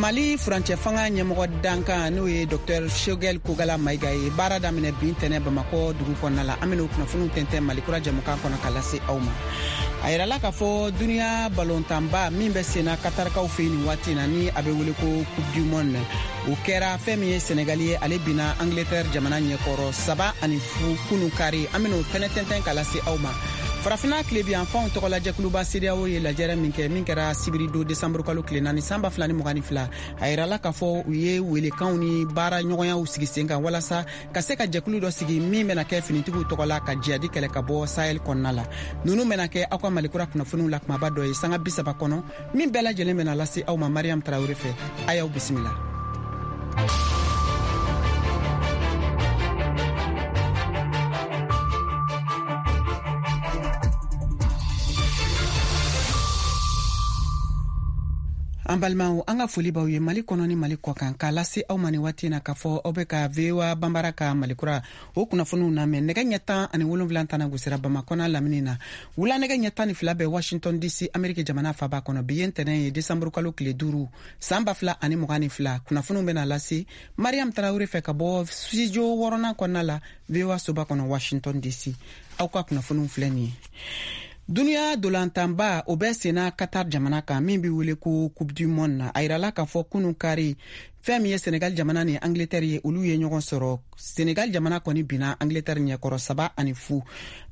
Mali furancɛ fanga ɲɛmɔgɔ dankan, n'o ye Dr Choguel Kokalla Maïga ye, baara daminɛ bi ntɛnɛ Bamakɔ dugu kɔnɔna la. An bɛn'o kunnafoniw tɛntɛn Mali kura jɛmukan kɔnɔ ka lase aw ma. A yirala k'a fɔ duniya balontanba min bɛ senna Katarikaw fɛ nin waati na, ni a bɛ wele ko Coupe du monde, o kɛra fɛn min ye Senegali ye, ale binna Angleterre jamana ɲɛkɔrɔ 3-0 kunu kari. An bɛn'o fɛnɛ tɛntɛn ka lase aw ma. Farafina tilebiyanfanw tɔgɔlajɛkuluba CEDEAO ye lajɛrɛ min kɛ, min kɛra sibiri don desanburu kalo tile 4 san 2022, a yirala k'a fɔ u ye welekanw ni baara ɲɔgɔnyaw sigi sen kan walasa ka se ka jɛkulu dɔ sigi min bɛna kɛ finitigiw tɔgɔ la ka jihadi kɛlɛ ka bɔ Sahel kɔnɔna la. Nunu bɛna kɛ aw ka Malikura kunnafoniw la kumaba dɔ ye sanga 30 kɔnɔ, min bɛɛ lajɛlen bɛna lase aw ma Mariam Tarawele fɛ. A y'aw bisimila. An balimaw, an ka foli b'aw ye Mali kɔnɔ ni Mali kɔ kan, k'a lase aw ma ni waati na k'a fɔ aw bɛ ka VOA Banbara ka Malikura o kunnafoniw namɛn. Nɛgɛ ɲɛ 17 tana gosira Bamakɔ n'a lamini na, wula nɛgɛ ɲɛ 12 bɛ Washington DC, Ameriki jamana faba kɔnɔ. Bi ye ntɛnɛn ye, desanburu kalo tile 5 san 2022. Kunnafoniw bɛna lase Mariam Tarawele fɛ ka bɔ studio wɔɔrɔnan kɔnɔna la, VOA soba kɔnɔ, Washington DC. Aw ka kunnafoniw filɛ nin ye. Duniya dolantanba, o bɛ senna Qatar jamana kan, min bɛ wele ko Coupe du monde na, a yirala k'a fɔ kunu kari, fɛn min ye Senegal jamana ni Angleterre ye, olu ye ɲɔgɔn sɔrɔ. Senegal jamana kɔni binna Angleterre ɲɛkɔrɔ 3-0.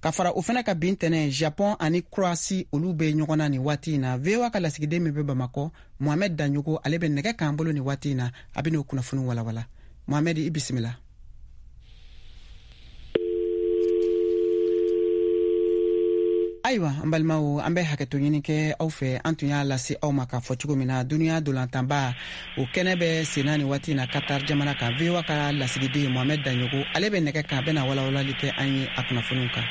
Ka fara o fɛnɛ ka bin tɛnɛ, Japon ani Croatie, olu bɛ ɲɔgɔn na nin waati in na. VOA ka lasigiden min bɛ Bamakɔ, Mohamed Daɲogo, ale bɛ nɛgɛ k'an bolo nin waati in na, a bɛ n'o kunnafoni walawala. Mohamed, i bisimila. Ayiwa, an balimaw, an bɛ hakɛto ɲini kɛ aw fɛ. An tun y'a lase aw ma k'a fɔ cogo min na, duniya dolantanba o kɛnɛ bɛ senna nin waati na Qatar jamana kan. VOA ka lasigiden Mohamed Daɲogo, ale bɛ nɛgɛ kan, a bɛna walawalali kɛ an ye a kunnafoniw kan.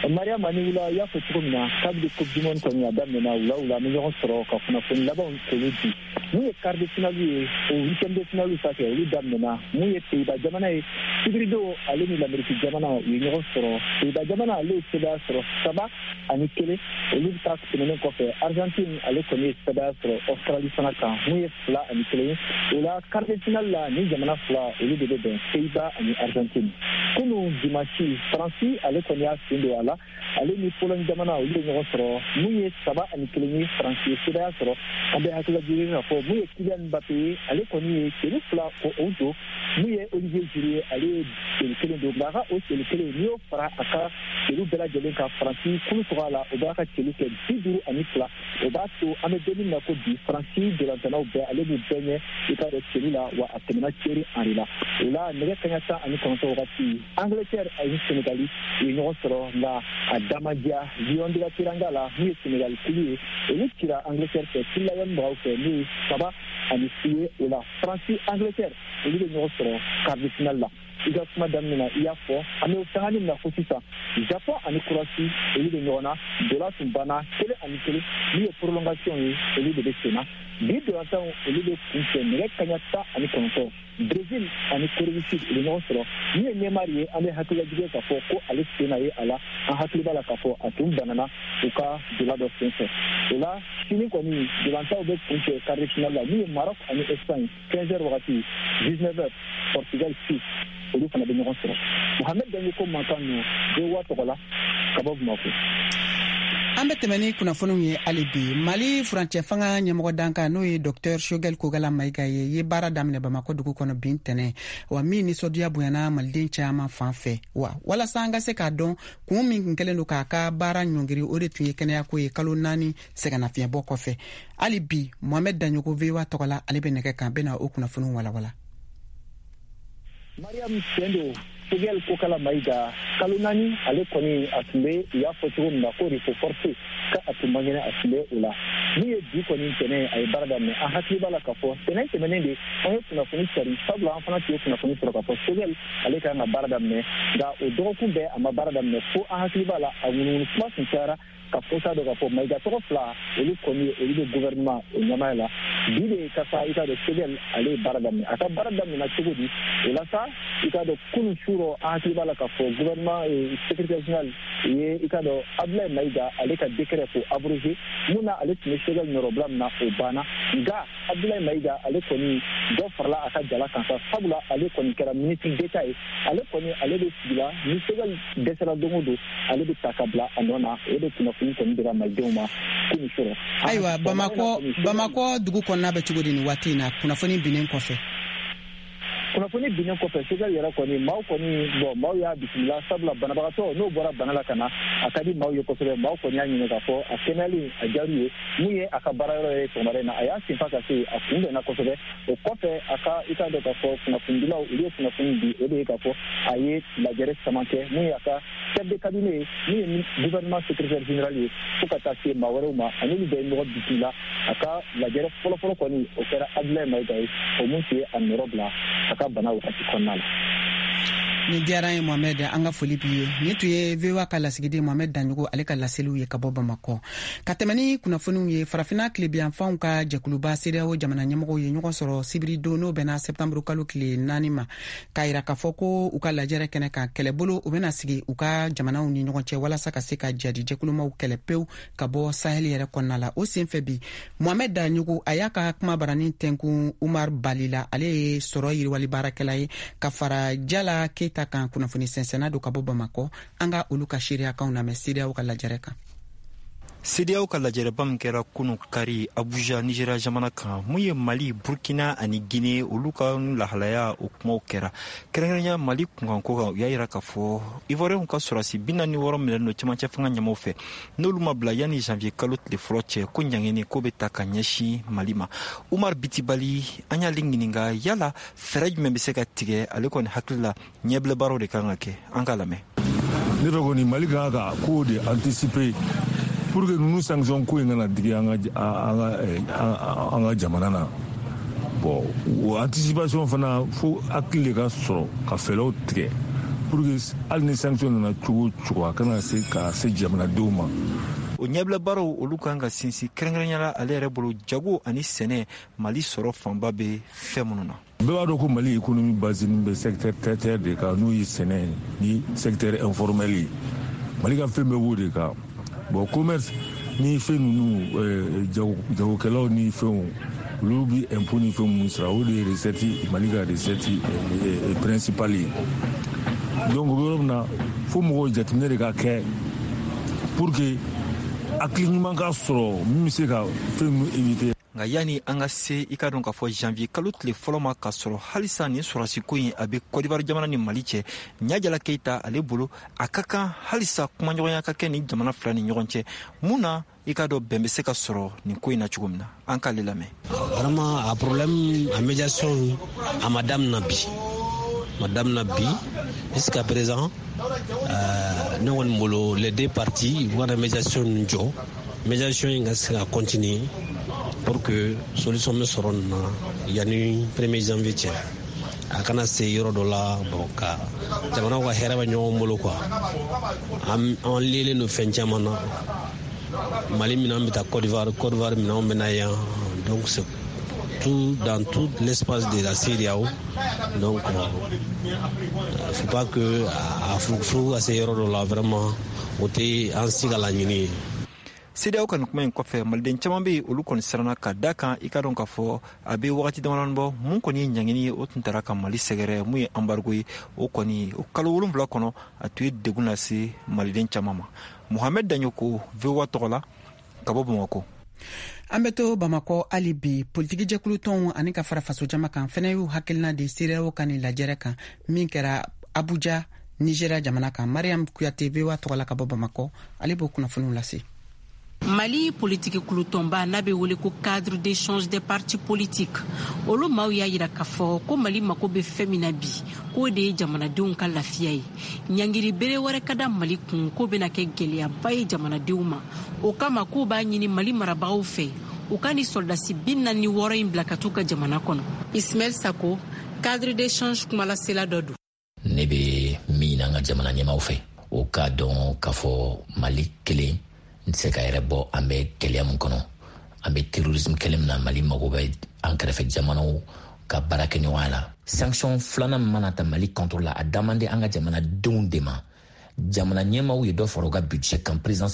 Mariam, ani wula. I y'a fɔ cogo min na, kabini Coupe du monde kɔni a daminɛna, wula wula an bɛ ɲɔgɔn sɔrɔ ka kunnafoni labanw k'olu di. Mun ye quart de finale ye, o huitième de finale sa kɛ, olu daminɛna. Mun ye Pays-Bas jamana ye, sibiridon ale ni Lamɛriki jamana u ye ɲɔgɔn sɔrɔ. Pays-Bas jamana ale ye sebaaya sɔrɔ 3-1. Olu ta tɛmɛnen kɔfɛ, Argentine ale kɔni ye sebaaya sɔrɔ Australie fana kan, mun ye 2-1 ye. O la quart de finale la, ni jamana fila olu de bɛ bɛn, Pays-Bas ani Argentine. Kunu dimanche, Faransi ale kɔni y'a sen don a la, ale ni Pologne jamana olu ye ɲɔgɔn sɔrɔ, mun ye 3-1 ye, Faransi ye sebaaya sɔrɔ. An bɛ hakililajigin k'a fɔ mun ye Kylian Mbappé ye, ale kɔni ye celu 2 ko o don. Mun ye Olivier Giroud ye, ale ye celu kelen don, nka a ka o celu kelen, n'i y'o fara a ka celu bɛɛ lajɛlen kan Faransi kulu tɔgɔ la, o b'a ka celu kɛ 52. O b'a to an bɛ don min na ko bi, Faransi dolantanaw bɛɛ, ale b'u bɛɛ ɲɛ i ka dɔn celu la, wa a tɛmɛna Thierry Henry la. O la nɛgɛ kaɲa 19 wagati, Angleterre ani Senegali u ye ɲɔgɔn sɔrɔ, nka a da ma diya Lion de la Teranga la. N'u ye Senegali kulu ye, olu cira Angleterre fɛ Lion mɔgɔw fɛ, n'o ye 3-0 ye. O la Faransi, Angleterre olu bɛ ɲɔgɔn sɔrɔ quart de finale la. I ka kuma daminɛ na, i y'a fɔ, an bɛ sanga min na ko sisan, Japon ani Croatie olu bɛ ɲɔgɔn na. Dola tun banna 1-1, n'u ye prolongation ye, olu de bɛ sen na. Bi dolantanw olu bɛ kuncɛ nɛgɛ kaɲa 19. Brésil ani Corée du Sud u bɛ ɲɔgɔn sɔrɔ. Min ye Neymar ye, an bɛ hakililajigin k'a fɔ ko ale sen na ye a la. An hakili b'a la k'a fɔ a tun banana u ka dola dɔ sen fɛ. O la sini kɔni dolantanw bɛ kuncɛ quart de finale la, min ye Maroc ani Espagne 15 heures wagati, 19 heures Portugal, Suisse olu fana bɛ ɲɔgɔn sɔrɔ. Mohamed Daɲoko mankan don VOA tɔgɔ la ka bɔ Bamakɔ. An bɛ tɛmɛ ni kunnafoniw ye hali bi. Mali furancɛ fanga ɲɛmɔgɔ dankan, n'o ye Dr Choguel Kokalla Maïga ye, ye baara daminɛ Bamakɔ dugu kɔnɔ bin tɛnɛ, wa min nisɔndiya bonyana maliden caman fan fɛ. Wa walasa an ka se k'a dɔn kun min kun kɛlen don k'a ka baara ɲɔngiri, o de tun ye kɛnɛyako ye kalo 4 sɛgɛnnafiɲɛbɔ kɔfɛ. Hali bi Mohamɛd Daɲogo, VOA tɔgɔ la, ale bɛ nɛgɛ kan, bɛna o kunnafoniw walawala. Mariam, tiɲɛ don, Choguel Kokalla Maïga kalo 4 ale kɔni a tun bɛ, u y'a fɔ cogo min na ko repos forcé, ka a tun man kɛnɛ, a tun bɛ o la. Min ye bi kɔni tɛnɛ, a ye baara daminɛ. An hakili b'a la k'a fɔ tɛnɛ tɛmɛnen de an ye kunnafoni cari, sabula an fana tun ye kunnafoni sɔrɔ k'a fɔ Choguel ale kan ka baara daminɛ, nka o dɔgɔkun bɛɛ a ma baara daminɛ, fo an hakili b'a la a ŋunuŋunu kuma tun cayara ka fɔ t'a dɔn k'a fɔ Maïga tɔgɔ fila olu kɔni olu bɛ gouvernement o ɲɛmaaya la. Bi de ka sa, i k'a dɔn Choguel ale ye baara daminɛ. A ka baara daminɛna cogo di? O la sa, i k'a dɔn kunun su rɔ, an hakili b'a la k'a fɔ gouvernement secrétaire général ye, i k'a dɔn Abdoulaye Maïga ale ka décret ko abrogé, mun na ale tun bɛ Choguel nɔrɔbila min na, o banna. Nka Abdoulaye Maïga, ale kɔni dɔ farala a ka jala kan sa, sabula ale kɔni kɛra ministre d'État ye. Ale kɔni, ale bɛ sigi la, ni Choguel dɛsɛra don o don, ale bɛ ta ka bila a nɔ na. O de kunnafoni kɔni dira malidenw ma kunun sɔrɔ. Ayiwa, Bamakɔ dugu kɔnɔna bɛ cogo di nin waati in na, kunnafoni binnen kɔfɛ? Kunnafoni binnen kɔfɛ, Choguel yɛrɛ kɔni, maaw kɔni, bɔn, maaw y'a bisimila, sabula banabagatɔ n'o bɔra bana la ka na, a ka di maaw ye kosɛbɛ. Maaw kɔni y'a ɲini k'a fɔ a kɛnɛyali a diyar'u ye. Mun ye a ka baara yɔrɔ ye sɔgɔmada in na, a y'a senfa ka se, a kunbɛnna kosɛbɛ. O kɔfɛ, a ka, i k'a dɔn k'a fɔ kunnafonidilaw, olu ye kunnafoni di. O de ye k'a fɔ a ye lajɛrɛ caman kɛ, mun ye a ka chef de cabinet ye, min ye gouvernement secrétaire général ye, fo ka taa se maa wɛrɛw ma, ani olu bɛɛ ye ɲɔgɔn bisimila. A ka lajɛrɛ fɔlɔfɔlɔ kɔni, o kɛra Abdoulaye Maïga ye, o mun tun ye a nɔrɔ bila a ka bana wagati kɔnɔna la. Nin diyara an ye, Mohamɛd, an ka foli b'i ye. Nin tun ye VOA ka lasigiden Mohamɛd Daɲogo, ale ka laseliw ye ka bɔ Bamakɔ. Ka tɛmɛ ni kunnafoniw ye, Farafina tilebiyanfanw ka jɛkuluba CEDEAO jamana ɲɛmɔgɔw ye ɲɔgɔn sɔrɔ sibiri don, n'o bɛnna sɛptanburu kalo tile 4 ma, k'a yira k'a fɔ ko u ka lajɛrɛ kɛnɛ kan, kɛlɛbolo u bɛna sigi u ka jamanaw ni ɲɔgɔn cɛ walasa ka se ka jadi jɛkulumaw kɛlɛ pewu ka bɔ Sahel yɛrɛ kɔnɔna la. O sen fɛ bi, Mohamɛd Daɲogo, a y'a ka kuma baranin tɛnkun Umar Bali la, ale ye sɔrɔ yiriwali baarakɛla ye, ka fara Jala Keyita kan, kunnafoni sɛnsɛnna don ka bɔ Bamakɔ. An ka olu ka seereyakanw lamɛn CEDEAO ka lajɛrɛ kan. CEDEAO ka lajɛrɛba min kɛra kunu kari Abuja, Nigeria jamana kan, mun ye Mali, Burkina ani Guinée, olu ka lahalaya, o kumaw kɛra. Kɛrɛnkɛrɛnya Mali kunkanko kan, u y'a yira k'a fɔ Ivoirienw ka sɔrɔdasi 46 minɛlen don cɛmancɛ fanga ɲɛmaw fɛ, n'olu ma bila yanni janvier kalo tile fɔlɔ cɛ, ko ɲangini ko bɛ ta ka ɲɛsin Mali ma. Umar Bitibali, an y'ale ɲininka yala fɛɛrɛ jumɛn bɛ se ka tigɛ. Ale kɔni hakili la, ɲɛbila baaraw de kan ka kɛ. An k'a lamɛn. Ne fɛ kɔni, Mali kan ka ko de anticiper pour que ninnu sanction ko in kana digi an ka jamana na. Bon, o anticipation fana, fo hakili de ka sɔrɔ ka fɛɛrɛw tigɛ pour que hali ni sanction nana cogo o cogo, a kana se ka se jamanadenw ma. O ɲɛbila baaraw, olu kan ka sinsin kɛrɛnkɛrɛnya la, ale yɛrɛ bolo, jago ani sɛnɛ, Mali sɔrɔ fanba bɛ fɛn minnu na. Bɛɛ b'a dɔn ko Mali économie basée bɛ secteur tertiaire de kan, n'o ye sɛnɛ ni secteur informel ye. Mali ka fɛn bɛɛ b'o de kan. Bon, commerce ni fɛn ninnu, jagokɛlaw ni fɛnw, olu bi impôt ni fɛn minnu sara, o de ye recette, Mali ka recette principale ye. Donc o bɛ yɔrɔ min na, fo mɔgɔw jateminɛ de ka kɛ pour que hakili ɲuman ka sɔrɔ min bɛ se ka fɛn ninnu éviter. Nka yanni an ka se, i ka dɔn k'a fɔ janvier kalo tile fɔlɔ ma, k'a sɔrɔ halisa nin sɔrɔsiko in a bɛ Kɔdiwari jamana ni Mali cɛ, Ɲajala Keyita, ale bolo, a ka kan halisa kumaɲɔgɔnya ka kɛ nin jamana fila ni ɲɔgɔn cɛ, mun na i k'a dɔn bɛn bɛ se ka sɔrɔ nin ko in na cogo min na. An k'ale lamɛn. Vraiment, a problème, a médiation, a ma damina bi, ma damina bi. Jusqu'à présent, ne kɔni bolo, les deux parties u kana médiation ninnu jɔ, médiation in ka se ka continuer pour que solution bɛ sɔrɔ nin na yanni 1er janvier cɛ. A kana se yɔrɔ dɔ la, bon, ka jamanaw ka hɛrɛ bɛ ɲɔgɔn bolo quoi. An liélen don fɛn caman na. Mali minɛn bɛ taa Côte d'Ivoire, Côte d'Ivoire minɛnw bɛ na yan. Donc c'est tout dans tout l'espace de la CEDEAO. Donc faut pas que a furugu ka se yɔrɔ dɔ la. Vraiment, o tɛ an si ka laɲini ye. CEDEAO ka nin kuma in kɔfɛ, maliden caman be yen, olu kɔni siranna ka da kan. I ka dɔn k'a fɔ a be wagati damadɔni bɔ, mun kɔni ye ɲangini ye, o tun tara ka Mali sɛgɛrɛ, mun ye embargo ye, o kɔni o kalo 7 kɔnɔ, a tun ye degun lase maliden caman ma. Mohamɛd Daɲoko, VOA tɔgɔ la, ka bɔ Bamakɔ. An bɛ to Bamakɔ hali bi. Politikijɛkulu tɔnw ani ka fara fasojama kan fɛnɛ y'u hakilina di CEDEAO ka nin lajɛrɛ kan min kɛra Abuja, Nigéria jamana kan. Mariam Kuyate, VOA tɔgɔ la ka bɔ Bamakɔ, ale b'o kunnafoniw lase. Mali politiki kulutɔnba n'a bɛ wele ko Cadre d'échange des partis politiques, olu maaw y'a yira k'a fɔ ko Mali mako bɛ fɛn min na bi, k'o de ye jamanadenw ka lafiya ye. Ɲangiri bere wɛrɛ ka da Mali kun, k'o bɛna kɛ gwɛlɛyaba ye jamanadenw ma. O kama, k'o b'a ɲini Mali marabagaw fɛ, u ka ni sɔrɔdasi 46 in bila ka t'u ka jamana kɔnɔ. Ismaɛl Sako, Cadre d'échange kumalasela dɔ don. Ne bɛ min ɲini an ka jamana ɲɛmaw fɛ, o k'a dɔn k'a fɔ Mali kelen n tɛ se ka yɛrɛ bɔ. An bɛ gɛlɛya min kɔnɔ, an bɛ terrorisme kɛlɛ min na, Mali mago bɛ an kɛrɛfɛ jamanaw ka baara kɛ ɲɔgɔnya la. Sanction filanan min mana ta Mali contre la, a da man di an ka jamanadenw de ma. Jamana ɲɛmaw ye dɔ fara u ka budget kan, présidence.